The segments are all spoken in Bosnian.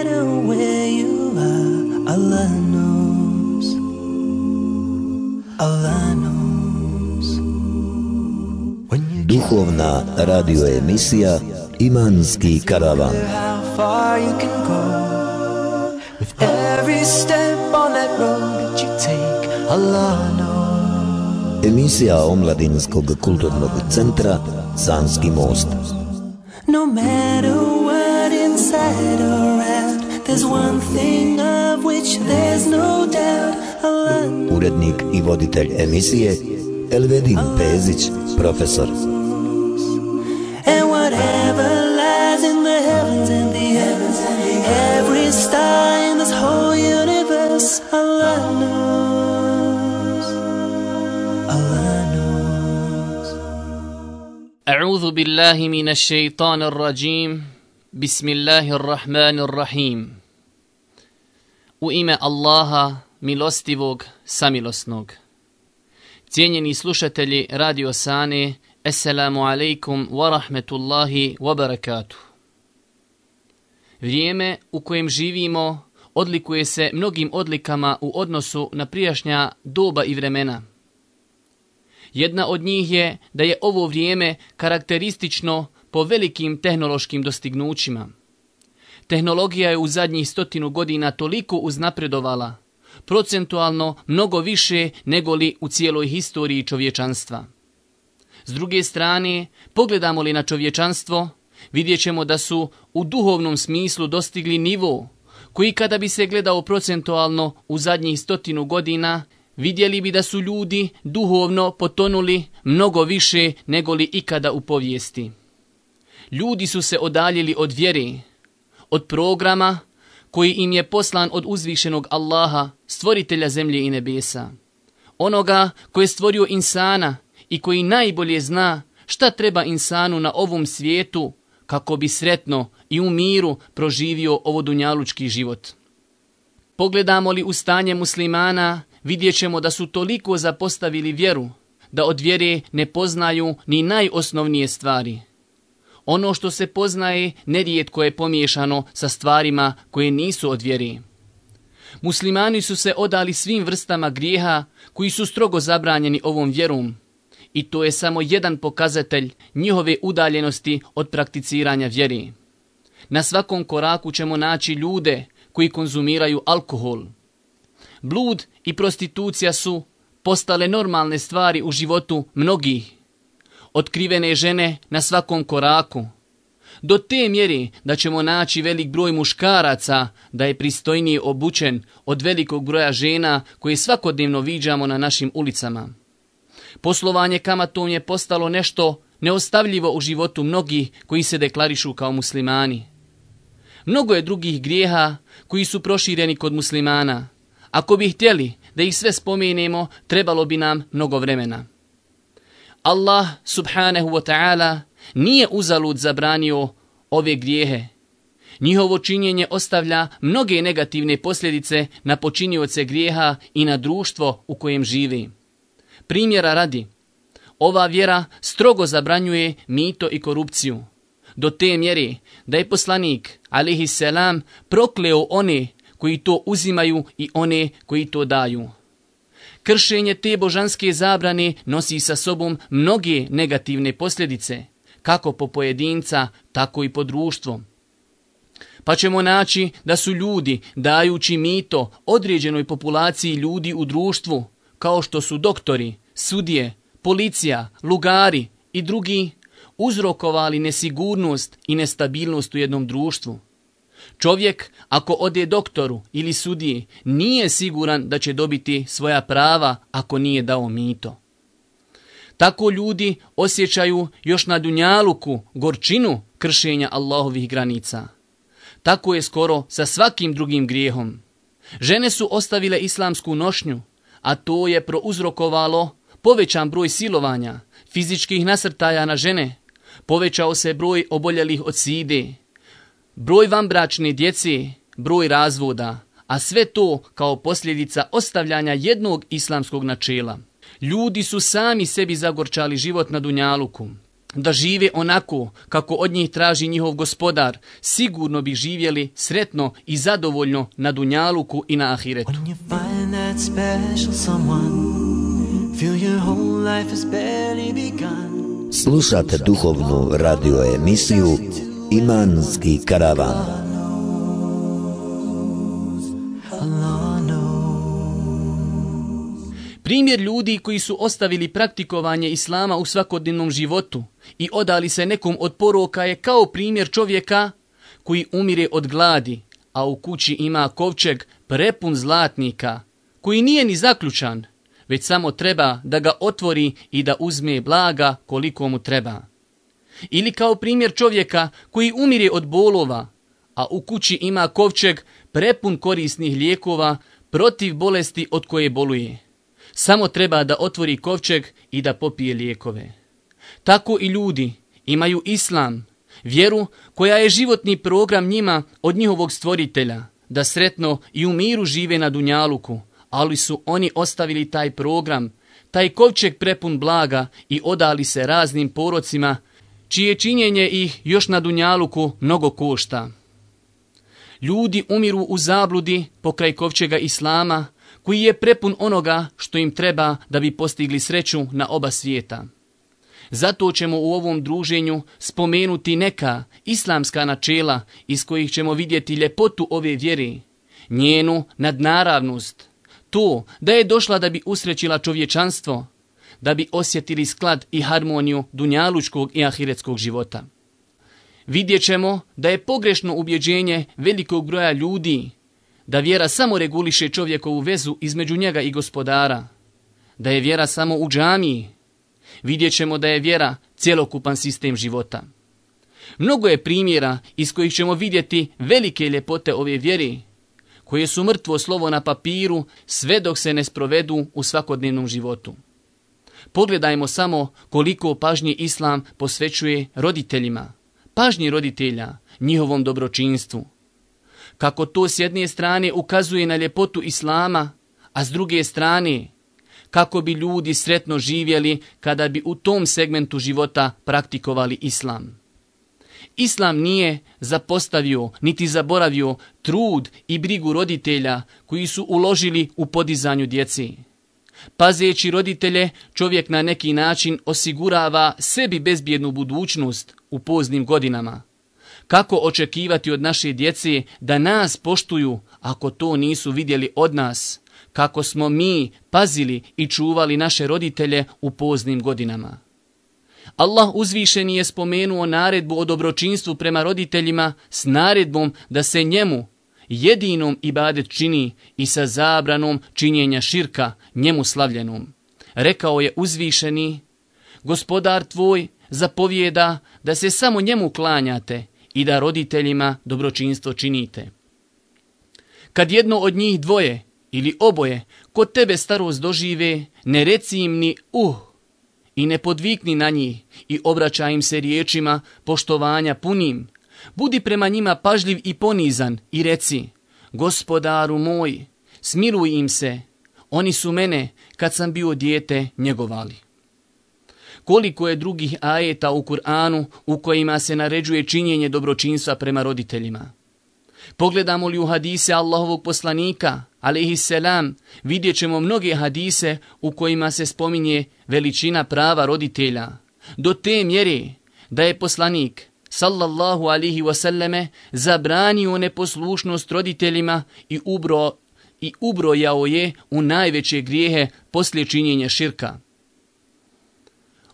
matter where you are, Allah knows. Allah knows. Duhovna radio emisija Imanski karavan. How far you can go with every step on that road that you take, Allah knows. Emisija Omladinskog kulturnog centra Sanski most. No matter what inside or out, there's one thing of which there's no doubt, Allah knows. Urednik i voditelj emisije Elvedin Pezić, profesor. And whatever lies in the heavens and the heavens, every star in this whole universe, Allah knows. Allah knows. أعوذ بالله من الشيطان الرجيم بسم الله الرحمن الرحيم U ime Allaha, milostivog, samilosnog. Cijenjeni slušatelji Radio Sane, Assalamu alaikum wa rahmetullahi wa barakatuh. Vrijeme u kojem živimo odlikuje se mnogim odlikama u odnosu na prijašnja doba i vremena. Jedna od njih je da je ovo vrijeme karakteristično po velikim tehnološkim dostignućima. Tehnologija je u zadnjih 100 godina toliko uznapredovala, procentualno mnogo više nego li u cijeloj historiji čovječanstva. S druge strane, pogledamo li na čovječanstvo, vidjet ćemo da su u duhovnom smislu dostigli nivo koji kada bi se gledao procentualno u zadnjih 100 godina, vidjeli bi da su ljudi duhovno potonuli mnogo više nego li ikada u povijesti. Ljudi su se odaljili od vjere, od programa koji im je poslan od uzvišenog Allaha, stvoritelja zemlje i nebesa. Onoga koji je stvorio insana i koji najbolje zna šta treba insanu na ovom svijetu kako bi sretno i u miru proživio ovo dunjalučki život. Pogledamo li u stanje muslimana, vidjet ćemo da su toliko zapostavili vjeru, da od vjere ne poznaju ni najosnovnije stvari. Ono što se poznaje nerijetko je pomiješano sa stvarima koje nisu od vjere. Muslimani su se odali svim vrstama grijeha koji su strogo zabranjeni ovom vjerom i to je samo jedan pokazatelj njihove udaljenosti od prakticiranja vjere. Na svakom koraku ćemo naći ljude koji konzumiraju alkohol. Blud i prostitucija su postale normalne stvari u životu mnogih. Otkrivene žene na svakom koraku. Do te mjere da ćemo naći velik broj muškaraca da je pristojnije obučen od velikog broja žena koje svakodnevno viđamo na našim ulicama. Poslovanje kamatom je postalo nešto neostavljivo u životu mnogih koji se deklarišu kao muslimani. Mnogo je drugih grijeha koji su prošireni kod muslimana. Ako bi htjeli da ih sve spomenemo, trebalo bi nam mnogo vremena. Allah subhanahu wa ta'ala nije uzalud zabranio ove grijehe. Njihovo činjenje ostavlja mnoge negativne posljedice na počinioce grijeha i na društvo u kojem živi. Primjera radi, ova vjera strogo zabranjuje mito i korupciju, do te mjere da je poslanik, alejhi selam, prokleo one koji to uzimaju i one koji to daju. Kršenje te božanske zabrane nosi sa sobom mnoge negativne posljedice, kako po pojedinca, tako i po društvo. Pa ćemo naći da su ljudi, dajući mito određenoj populaciji ljudi u društvu, kao što su doktori, sudije, policija, lugari i drugi, uzrokovali nesigurnost i nestabilnost u jednom društvu. Čovjek, ako ode doktoru ili sudiji, nije siguran da će dobiti svoja prava ako nije dao mito. Tako ljudi osjećaju još na dunjaluku gorčinu kršenja Allahovih granica. Tako je skoro sa svakim drugim grijehom. Žene su ostavile islamsku nošnju, a to je prouzrokovalo povećan broj silovanja, fizičkih nasrtaja na žene, povećao se broj oboljelih od side, broj vanbračne djece, broj razvoda, a sve to kao posljedica ostavljanja jednog islamskog načela. Ljudi su sami sebi zagorčali život na dunjaluku. da žive onako kako od njih traži njihov gospodar, sigurno bi živjeli sretno i zadovoljno na dunjaluku i na ahiretu. When you find that special someone, feel your whole life has barely begun. Slušate duhovnu radio emisiju Imanski karavan. Primjer ljudi koji su ostavili praktikovanje islama u svakodnevnom životu i odali se nekom od poroka je kao primjer čovjeka koji umire od gladi, a u kući ima kovčeg prepun zlatnika, koji nije ni zaključan, već samo treba da ga otvori i da uzme blaga koliko mu treba. Ili kao primjer čovjeka koji umire od bolova, a u kući ima kovčeg prepun korisnih lijekova protiv bolesti od koje boluje. Samo treba da otvori kovčeg i da popije lijekove. Tako i ljudi imaju islam, vjeru koja je životni program njima od njihovog stvoritelja, da sretno i u miru žive na dunjaluku, ali su oni ostavili taj program, taj kovčeg prepun blaga i odali se raznim porocima, čije činjenje ih još na dunjaluku mnogo košta. Ljudi umiru u zabludi pokraj kovčega islama, koji je prepun onoga što im treba da bi postigli sreću na oba svijeta. Zato ćemo u ovom druženju spomenuti neka islamska načela iz kojih ćemo vidjeti ljepotu ove vjere, njenu nadnaravnost, to da je došla da bi usrećila čovječanstvo, da bi osjetili sklad i harmoniju dunjalučkog i ahiretskog života. Vidjet ćemo da je pogrešno ubjeđenje velikog broja ljudi da vjera samo reguliše čovjekovu vezu između njega i gospodara, da je vjera samo u džamiji. Vidjet ćemo da je vjera cjelokupan sistem života. Mnogo je primjera iz kojih ćemo vidjeti velike ljepote ove vjere, koje su mrtvo slovo na papiru sve dok se ne sprovedu u svakodnevnom životu. Pogledajmo samo koliko pažnje islam posvećuje roditeljima, pažnji roditelja, njihovom dobročinstvu. Kako to s jedne strane ukazuje na ljepotu islama, a s druge strane kako bi ljudi sretno živjeli kada bi u tom segmentu života praktikovali islam. Islam nije zapostavio niti zaboravio trud i brigu roditelja koji su uložili u podizanju djece. Pazeći roditelje, čovjek na neki način osigurava sebi bezbjednu budućnost u poznim godinama. Kako očekivati od naše djece da nas poštuju ako to nisu vidjeli od nas, kako smo mi pazili i čuvali naše roditelje u poznim godinama. Allah uzvišeni je spomenuo naredbu o dobročinstvu prema roditeljima s naredbom da se njemu jedinom ibadet čini i sa zabranom činjenja širka njemu slavljenom. Rekao je uzvišeni: Gospodar tvoj zapovijeda da se samo njemu klanjate i da roditeljima dobročinstvo činite. Kad jedno od njih dvoje ili oboje kod tebe starost dožive, ne reci im ni i ne podvikni na njih i obraćaj im se riječima poštovanja punim. Budi prema njima pažljiv i ponizan i reci: Gospodaru moj, smiluj im se, oni su mene kad sam bio dijete njegovali. Koliko je drugih ajeta u Kur'anu u kojima se naređuje činjenje dobročinstva prema roditeljima. Pogledamo li u hadise Allahovog poslanika, alejhisselam, vidjet ćemo mnoge hadise u kojima se spominje veličina prava roditelja, do te mjere da je poslanik, sallallahu alaihi wasallame, zabranio neposlušnost roditeljima i ubrojao je u najveće grijehe poslije činjenja širka.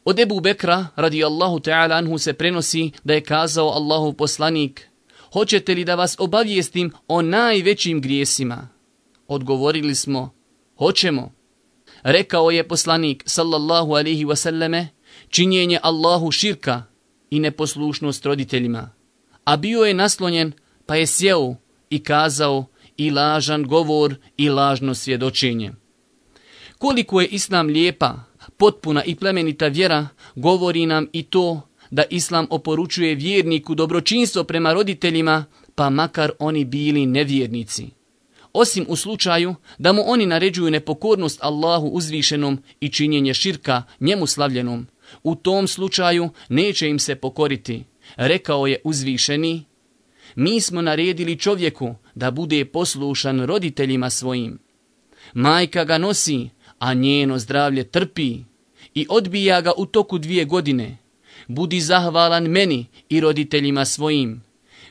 Od Ebu Bekra, radijallahu ta'ala anhu, se prenosi da je kazao Allahov poslanik: Hoćete li da vas obavijestim o najvećim grijesima? Odgovorili smo: Hoćemo. Rekao je poslanik, sallallahu alaihi wasallame, činjenje Allahu širka i neposlušnost roditeljima. A bio je naslonjen, pa je sjeo i kazao: i lažan govor i lažno svjedočenje. Koliko je Islam lijepa, potpuna i plemenita vjera, govori nam i to da Islam oporučuje vjerniku dobročinstvo prema roditeljima, pa makar oni bili nevjernici. Osim u slučaju da mu oni naređuju nepokornost Allahu uzvišenom i činjenje širka njemu slavljenom, U tom slučaju neće im se pokoriti. Rekao je uzvišeni: mi smo naredili čovjeku da bude poslušan roditeljima svojim. Majka ga nosi, a njeno zdravlje trpi i odbija ga u toku 2 godine. Budi zahvalan meni i roditeljima svojim.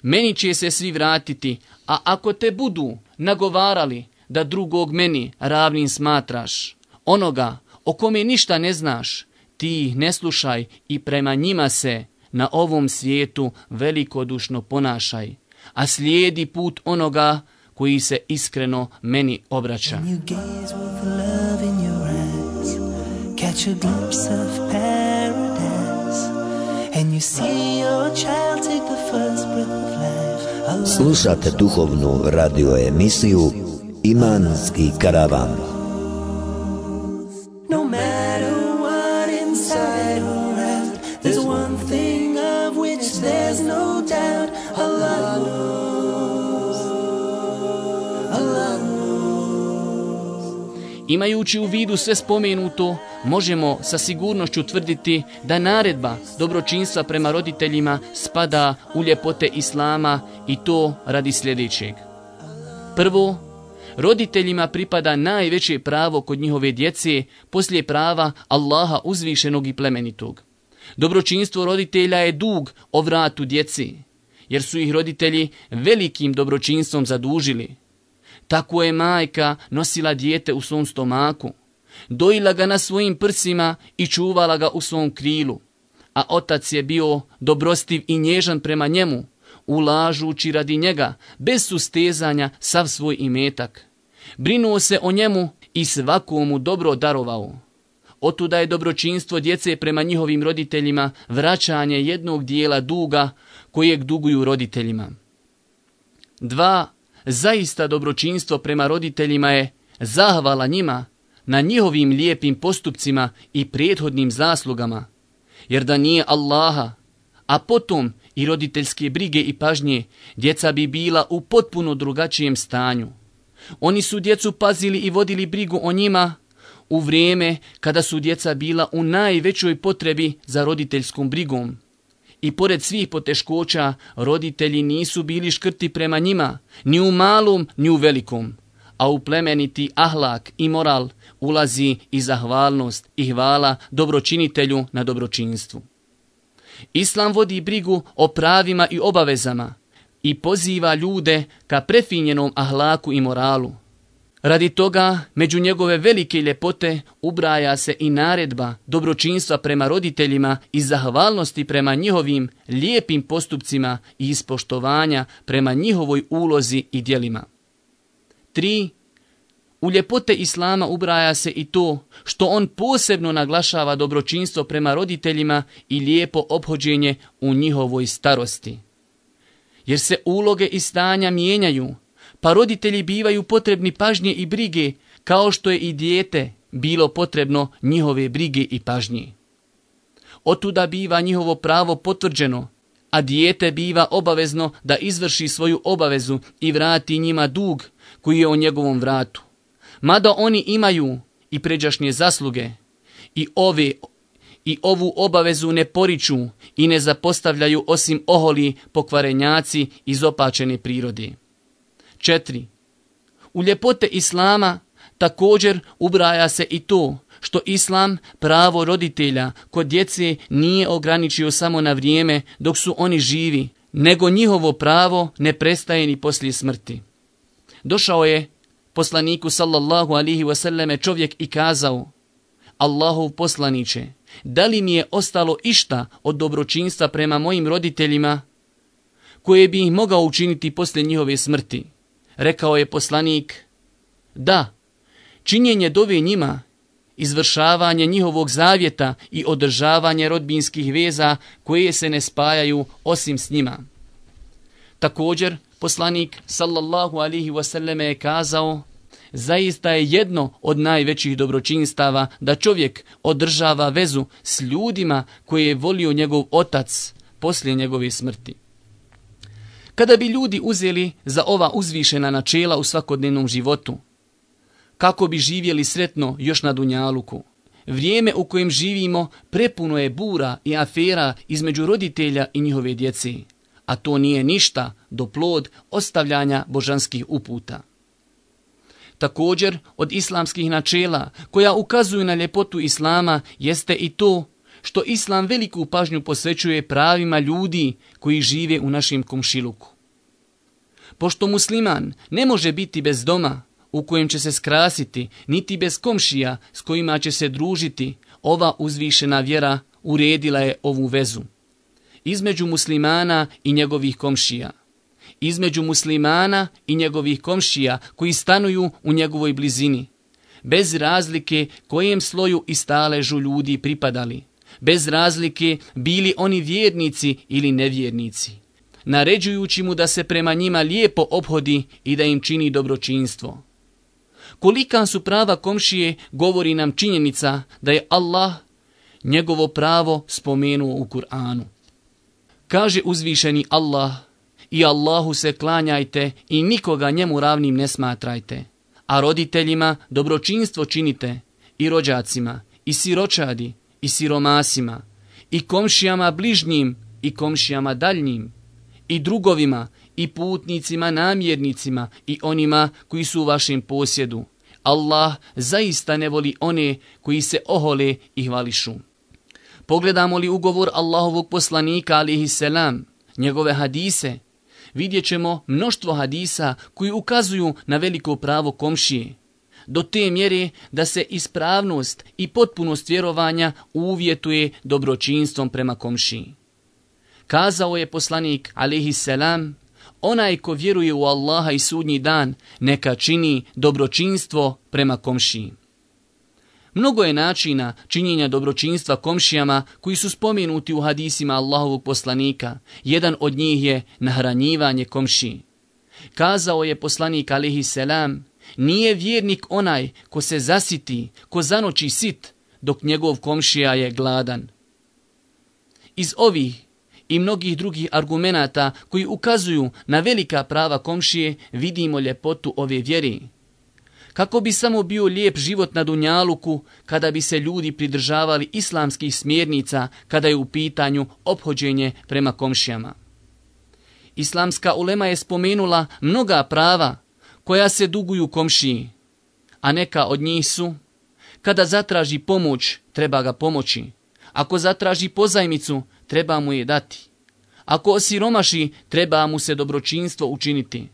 Meni će se svi vratiti, a ako te budu nagovarali da drugog meni ravnim smatraš, onoga o kome ništa ne znaš, ti ih ne slušaj i prema njima se na ovom svijetu velikodušno ponašaj, a slijedi put onoga koji se iskreno meni obraća. Slušate duhovnu radio emisiju Imanski karavan. No matter what inside or out, there's one thing of which there's no doubt. Allah knows. Allah knows. Imajući u vidu sve spomenuto, možemo sa sigurnošću tvrditi da naredba dobročinstva prema roditeljima spada u ljepote Islama, i to radi sljedećeg. Prvo, roditeljima pripada najveće pravo kod njihove djece poslije prava Allaha uzvišenog i plemenitog. Dobročinstvo roditelja je dug o vratu djeci, jer su ih roditelji velikim dobročinstvom zadužili. Tako je majka nosila dijete u svom stomaku, dojila ga na svojim prsima i čuvala ga u svom krilu, a otac je bio dobrostiv i nježan prema njemu, ulažući radi njega bez sustezanja sav svoj imetak. Brinuo se o njemu i svakomu dobro darovao. Otuda je dobročinstvo djece prema njihovim roditeljima vraćanje jednog dijela duga kojeg duguju roditeljima. 2. Zaista dobročinstvo prema roditeljima je zahvala njima na njihovim lijepim postupcima i prethodnim zaslugama, jer da nije Allaha, a potom i roditeljske brige i pažnje, djeca bi bila u potpuno drugačijem stanju. Oni su djecu pazili i vodili brigu o njima u vrijeme kada su djeca bila u najvećoj potrebi za roditeljskom brigom. I pored svih poteškoća, roditelji nisu bili škrti prema njima, ni u malom, ni u velikom. A u plemeniti ahlak i moral ulazi i zahvalnost i hvala dobročinitelju na dobročinstvu. Islam vodi brigu o pravima i obavezama i poziva ljude ka prefinjenom ahlaku i moralu. Radi toga, među njegove velike ljepote ubraja se i naredba dobročinstva prema roditeljima i zahvalnosti prema njihovim lijepim postupcima i ispoštovanja prema njihovoj ulozi i djelima. 3. U ljepote Islama ubraja se i to što on posebno naglašava dobročinstvo prema roditeljima i lijepo ophođenje u njihovoj starosti. Jer se uloge i stanja mijenjaju, pa roditelji bivaju potrebni pažnje i brige, kao što je i dijete bilo potrebno njihove brige i pažnje. Otuda biva njihovo pravo potvrđeno, a dijete biva obavezno da izvrši svoju obavezu i vrati njima dug koji je o njegovom vratu. Mada oni imaju i pređašnje zasluge i ovu obavezu ne poriču i ne zapostavljaju osim oholi pokvarenjaci izopačene prirode. 4. U ljepote Islama također ubraja se i to što Islam pravo roditelja kod djece nije ograničio samo na vrijeme dok su oni živi, nego njihovo pravo ne prestaje ni poslije smrti. Došao je poslaniku sallallahu alihi wasallame čovjek i kazao: Allahov poslaniče, da li mi je ostalo išta od dobročinstva prema mojim roditeljima koje bi ih mogao učiniti poslije njihove smrti? Rekao je poslanik: da, činjenje dove njima, izvršavanje njihovog zavjeta i održavanje rodbinskih veza koje se ne spajaju osim s njima. Također, poslanik sallallahu alihi wasallam je kazao: zaista je jedno od najvećih dobročinstava da čovjek održava vezu s ljudima koje je volio njegov otac poslije njegove smrti. Kada bi ljudi uzeli za ova uzvišena načela u svakodnevnom životu, kako bi živjeli sretno još na dunjaluku, vrijeme u kojem živimo prepuno je bura i afera između roditelja i njihove djece, a to nije ništa do plod ostavljanja božanskih uputa. Također, od islamskih načela koja ukazuju na ljepotu islama jeste i to što islam veliku pažnju posvećuje pravima ljudi koji žive u našem komšiluku. Pošto musliman ne može biti bez doma u kojem će se skrasiti, niti bez komšija s kojima će se družiti, ova uzvišena vjera uredila je ovu vezu između muslimana i njegovih komšija, između muslimana i njegovih komšija koji stanuju u njegovoj blizini, bez razlike kojem sloju i staležu ljudi pripadali, bez razlike bili oni vjernici ili nevjernici, naređujući mu da se prema njima lijepo ophodi i da im čini dobročinstvo. Kolika su prava komšije govori nam činjenica da je Allah njegovo pravo spomenuo u Kur'anu. Kaže uzvišeni Allah: i Allahu se klanjajte i nikoga njemu ravnim ne smatrajte, a roditeljima dobročinstvo činite, i rođacima, i siročadi, i siromasima, i komšijama bližnjim, i komšijama daljnjim, i drugovima, i putnicima namjernicima, i onima koji su u vašem posjedu. Allah zaista ne voli one koji se ohole i hvališu. Pogledamo li ugovor Allahovog poslanika alejhi selam, njegove hadise, vidjet ćemo mnoštvo hadisa koji ukazuju na veliko pravo komšije, do te mjere da se ispravnost i potpunost vjerovanja uvjetuje dobročinstvom prema komšiji. Kazao je poslanik alejhi selam: onaj ko vjeruje u Allaha i sudnji dan, neka čini dobročinstvo prema komšiji. Mnogo je načina činjenja dobročinstva komšijama koji su spomenuti u hadisima Allahovog poslanika. Jedan od njih je nahranjivanje komšiji. Kazao je poslanik alejhi selam: nije vjernik onaj ko se zasiti, ko zanoći sit, dok njegov komšija je gladan. Iz ovih i mnogih drugih argumenata koji ukazuju na velika prava komšije vidimo ljepotu ove vjere. Kako bi samo bio lijep život na dunjaluku kada bi se ljudi pridržavali islamskih smjernica kada je u pitanju ophođenje prema komšijama. Islamska ulema je spomenula mnoga prava koja se duguju komšiji, a neka od njih su: kada zatraži pomoć, treba ga pomoći; ako zatraži pozajmicu, treba mu je dati; ako osiromaši, treba mu se dobročinstvo učiniti;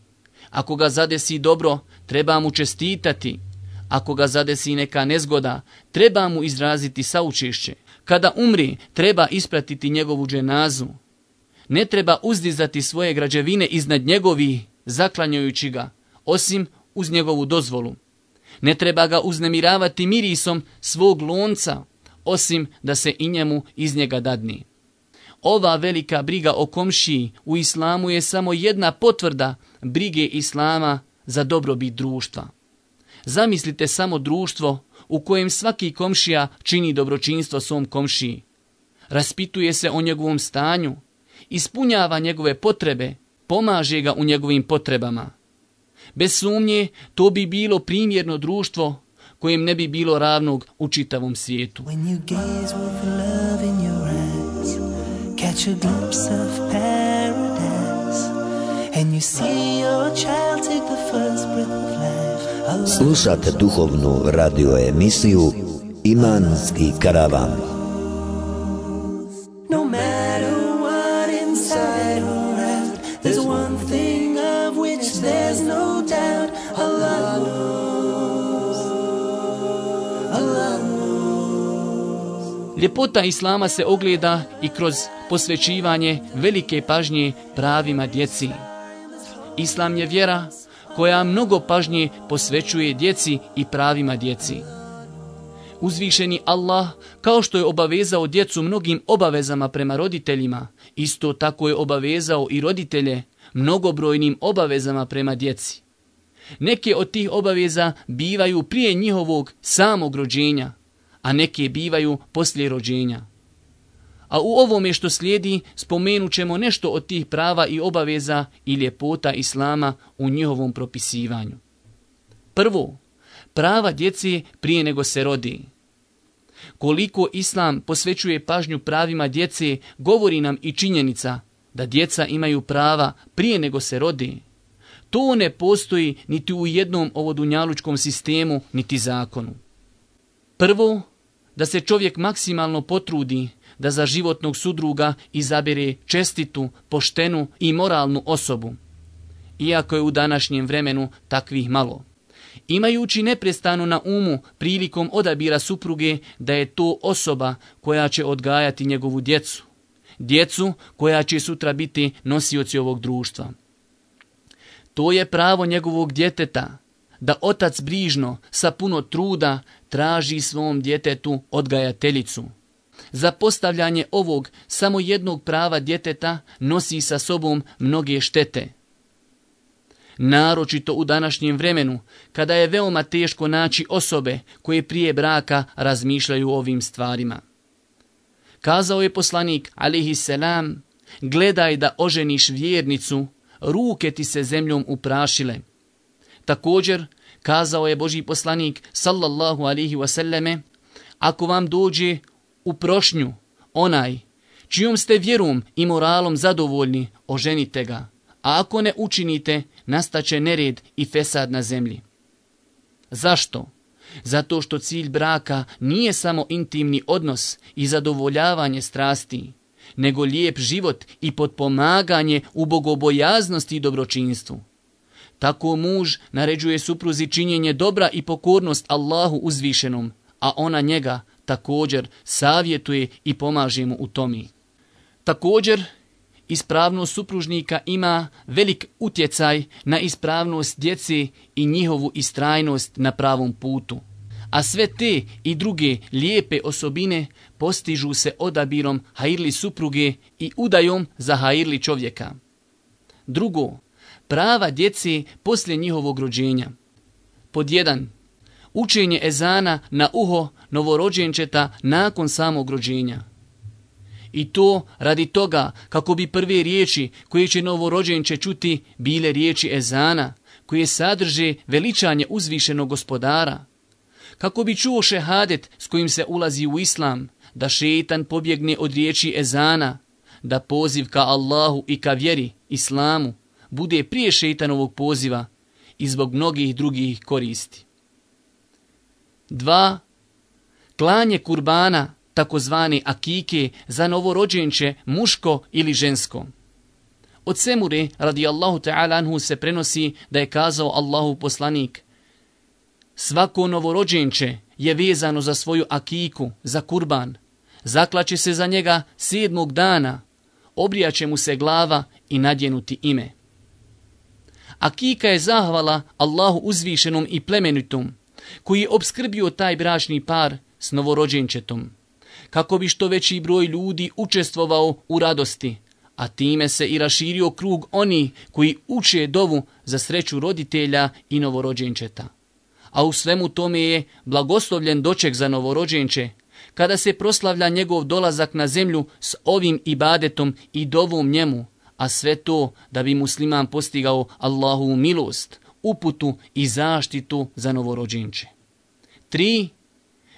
ako ga zadesi dobro, treba mu čestitati; ako ga zadesi neka nezgoda, treba mu izraziti saučešće; kada umri, treba ispratiti njegovu dženazu; ne treba uzdizati svoje građevine iznad njegovih, zaklanjajući ga, osim uz njegovu dozvolu; ne treba ga uznemiravati mirisom svog lonca, osim da se i njemu iz njega dadni. Ova velika briga o komšiji u islamu je samo jedna potvrda brige islama za dobrobit društva. Zamislite samo društvo u kojem svaki komšija čini dobročinstvo svom komšiji, raspituje se o njegovom stanju, ispunjava njegove potrebe, pomaže ga u njegovim potrebama. Bez sumnje, to bi bilo primjerno društvo kojem ne bi bilo ravnog u čitavom svijetu. Catch a glimpse of paradise, and you see your child take the first breath of life. Slušate duhovnu radio emisiju Imanski karavan. No matter what inside or out, there's one thing of which there's no doubt. Allah knows. Allah knows. Ljepota islama se ogleda i kroz posvećivanje velike pažnje pravima djeci. Islam je vjera koja mnogo pažnje posvećuje djeci i pravima djeci. Uzvišeni Allah, kao što je obavezao djecu mnogim obavezama prema roditeljima, isto tako je obavezao i roditelje mnogobrojnim obavezama prema djeci. Neke od tih obaveza bivaju prije njihovog samog rođenja, a neke bivaju poslije rođenja. A u ovome što slijedi spomenut ćemo nešto od tih prava i obaveza i ljepota islama u njihovom propisivanju. Prvo, prava djece prije nego se rodi. Koliko Islam posvećuje pažnju pravima djece, govori nam i činjenica da djeca imaju prava prije nego se rodi. To ne postoji niti u jednom ovodunjalučkom sistemu, niti zakonu. Prvo, da se čovjek maksimalno potrudi da za životnog sudruga izabere čestitu, poštenu i moralnu osobu, iako je u današnjem vremenu takvih malo. Imajući neprestano na umu prilikom odabira supruge da je to osoba koja će odgajati njegovu djecu, djecu koja će sutra biti nosioci ovog društva. To je pravo njegovog djeteta, da otac brižno, sa puno truda, traži svom djetetu odgajateljicu. Za postavljanje ovog samo jednog prava djeteta nosi sa sobom mnoge štete. Naročito u današnjem vremenu, kada je veoma teško naći osobe koje prije braka razmišljaju o ovim stvarima. Kazao je poslanik, alejhi selam, gledaj da oženiš vjernicu, ruke ti se zemljom uprašile. Također, kazao je Božji poslanik, sallallahu alejhi wasallame, ako vam dođe u prošnju onaj čijom ste vjerom i moralom zadovoljni, oženite ga, a ako ne učinite, nastaće nered i fesad na zemlji. Zašto? Zato što cilj braka nije samo intimni odnos i zadovoljavanje strasti, nego lijep život i potpomaganje u bogobojaznosti i dobročinstvu. Tako muž naređuje supruzi činjenje dobra i pokornost Allahu uzvišenom, a ona njega također savjetuje i pomaže mu u tome. Također, ispravnost supružnika ima velik utjecaj na ispravnost djece i njihovu istrajnost na pravom putu. A sve te i druge lijepe osobine postižu se odabirom hajirli supruge i udajom za hajirli čovjeka. Drugo, prava djece poslije njihovog rođenja. Pod 1. Učenje ezana na uho novorođenčeta nakon samog rođenja. I to radi toga kako bi prve riječi koje će novorođenče čuti bile riječi ezana, koje sadrže veličanje uzvišenog gospodara. Kako bi čuo šehadet s kojim se ulazi u islam, da šeitan pobjegne od riječi ezana, da poziv ka Allahu i ka vjeri, islamu, bude prije šeitanovog poziva i zbog mnogih drugih koristi. 2. Klanje kurbana, takozvane akike, za novorođenče muško ili žensko. Od Semure radijallahu ta'ala anhu se prenosi da je kazao Allahu poslanik: svako novorođenče je vezano za svoju akiku, za kurban. Zaklaće se za njega 7. dana, obrijaće mu se glava i nadjenuti ime. Akika je zahvala Allahu uzvišenom i plemenitom, koji je obskrbio taj bračni par s novorođenčetom, kako bi što veći broj ljudi učestvovao u radosti, a time se i raširio krug oni koji uče dovu za sreću roditelja i novorođenčeta. A u svemu tome je blagoslovljen doček za novorođenče, kada se proslavlja njegov dolazak na zemlju s ovim ibadetom i dovom njemu, a sve to da bi musliman postigao Allahovu milost, uputu i zaštitu za novorođenče. 3.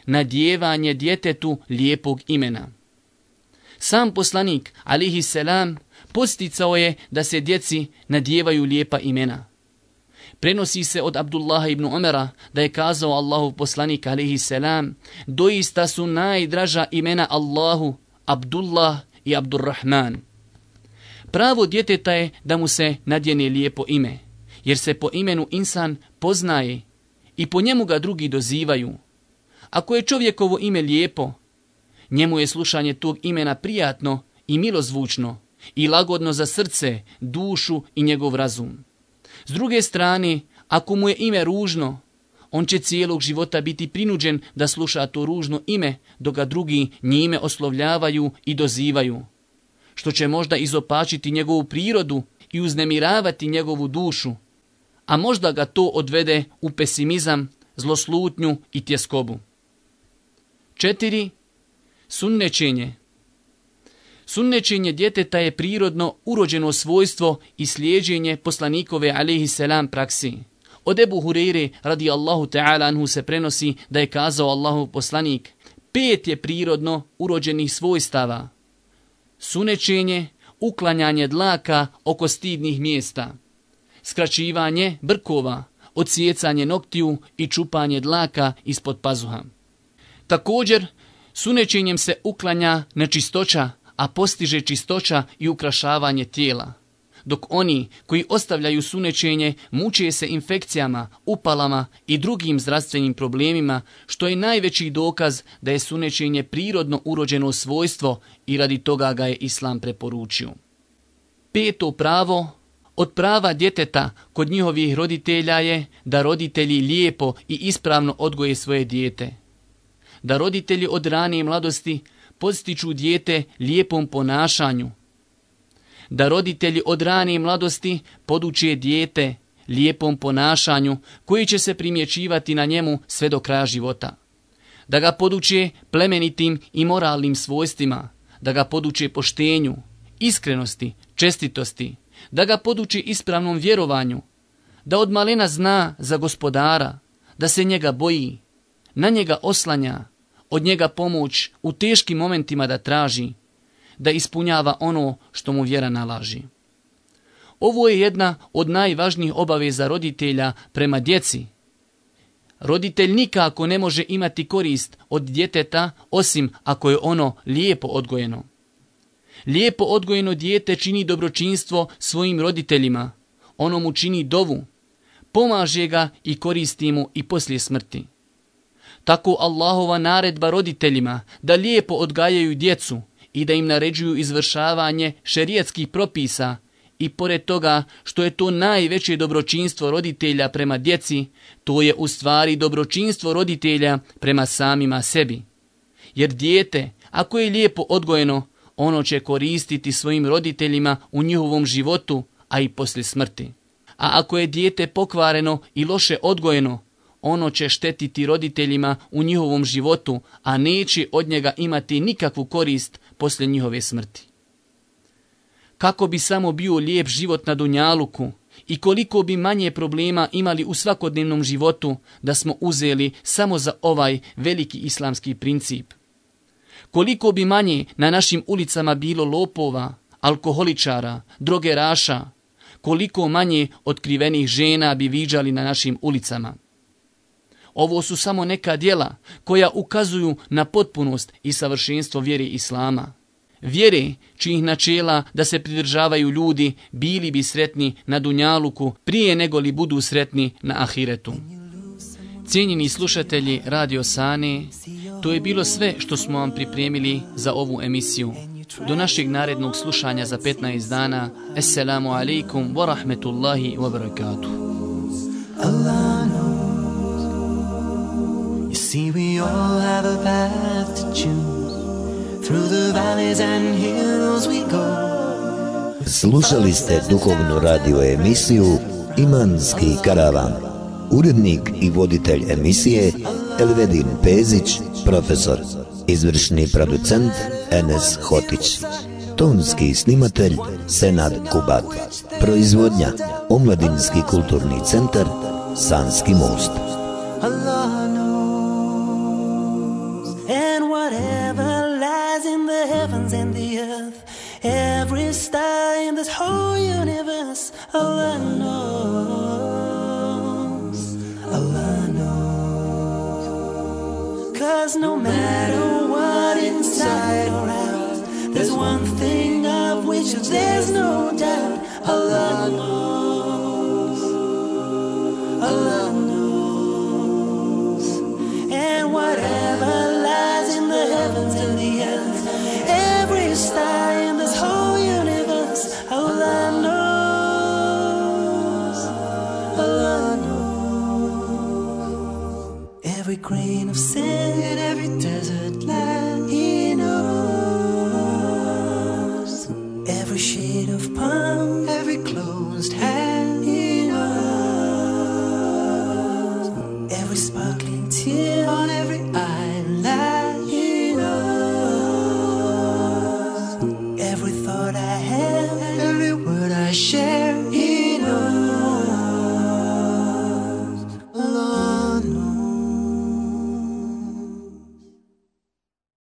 Nadjevanje djetetu lijepog imena. Sam poslanik, alejhi selam, posticao je da se djeci nadjevaju lijepa imena. Prenosi se od Abdullaha ibn Umara da je kazao Allahov poslanik, alejhi selam, doista su najdraža imena Allahu Abdullah i Abdurrahman. Pravo djeteta je da mu se nadjene lijepo ime, jer se po imenu insan poznaje i po njemu ga drugi dozivaju. Ako je čovjekovo ime lijepo, njemu je slušanje tog imena prijatno i milozvučno i lagodno za srce, dušu i njegov razum. S druge strane, ako mu je ime ružno, on će cijelog života biti prinuđen da sluša to ružno ime, dok ga drugi njime oslovljavaju i dozivaju, što će možda izopačiti njegovu prirodu i uznemiravati njegovu dušu, a možda ga to odvede u pesimizam, zloslutnju i tjeskobu. 4. Sunnećenje. Sunnećenje djeteta je prirodno urođeno svojstvo i slijeđenje poslanikove alejhi selam praksi. Od Ebu Hureyre radijallahu ta'ala anhu se prenosi da je kazao Allahov poslanik: 5 je prirodno urođenih svojstava. Sunečenje, uklanjanje dlaka oko stidnih mjesta, skraćivanje brkova, odsjecanje noktiju i čupanje dlaka ispod pazuha. Također, sunečenjem se uklanja nečistoća, a postiže čistoća i ukrašavanje tijela. Dok oni koji ostavljaju sunečenje muče se infekcijama, upalama i drugim zdravstvenim problemima, što je najveći dokaz da je sunečenje prirodno urođeno svojstvo i radi toga ga je Islam preporučio. 5. pravo od prava djeteta kod njihovih roditelja je da roditelji lijepo i ispravno odgoje svoje dijete. Da roditelji od rane mladosti podstiču dijete lijepom ponašanju. Da roditelji od rane mladosti poduče dijete lijepom ponašanju koji će se primjećivati na njemu sve do kraja života. Da ga poduče plemenitim i moralnim svojstvima, da ga poduče poštenju, iskrenosti, čestitosti, da ga poduče ispravnom vjerovanju, da od malena zna za Gospodara, da se njega boji, na njega oslanja, od njega pomoć u teškim momentima da traži, da ispunjava ono što mu vjera nalaži. Ovo je jedna od najvažnijih obaveza roditelja prema djeci. Roditelj nikako ne može imati korist od djeteta osim ako je ono lijepo odgojeno. Lijepo odgojeno dijete čini dobročinstvo svojim roditeljima, ono mu čini dovu, pomaže ga i koristi mu i poslije smrti. Tako Allahova naredba roditeljima da lijepo odgajaju djecu i da im naređuju izvršavanje šerijatskih propisa i pored toga što je to najveće dobročinstvo roditelja prema djeci, to je u stvari dobročinstvo roditelja prema samima sebi. Jer dijete, ako je lijepo odgojeno, ono će koristiti svojim roditeljima u njihovom životu, a i poslije smrti. A ako je dijete pokvareno i loše odgojeno, ono će štetiti roditeljima u njihovom životu, a neće od njega imati nikakvu korist poslije njihove smrti. Kako bi samo bio lijep život na dunjaluku i koliko bi manje problema imali u svakodnevnom životu da smo uzeli samo za ovaj veliki islamski princip. Koliko bi manje na našim ulicama bilo lopova, alkoholičara, drogeraša, koliko manje otkrivenih žena bi viđali na našim ulicama. Ovo su samo neka djela koja ukazuju na potpunost i savršenstvo vjere Islama. Vjere čijih načela da se pridržavaju ljudi bili bi sretni na dunjaluku prije nego li budu sretni na ahiretu. Cijenjeni slušatelji Radio Sane, to je bilo sve što smo vam pripremili za ovu emisiju. Do našeg narednog slušanja za 15 dana. Assalamu alaikum wa rahmetullahi wa barakatuh. You see, we all have a path to choose. Through the valleys and hills we go. Slušali ste duhovnu radio emisiju Imanski karavan. Urednik i voditelj emisije Elvedin Pezić, profesor. Izvršni producent Enes Hotić. Tonski snimatelj Senad Kubat. Proizvodnja Omladinski kulturni centar Sanski most. Allah knows, and whatever lies in the heavens and the earth, every star in this whole universe, Allah knows, Allah knows. 'Cause no matter what inside or out, there's one thing of which there's no doubt, Allah knows, Allah knows. Whatever lies in the heavens and the earth, every star in this whole universe, Allah knows, Allah knows. Every grain of sand in every desert land, He knows. Every shade of palm, every closed hand, He knows. Every sparkling tear on every eyelid, He knows. Every thought I have, every word I share,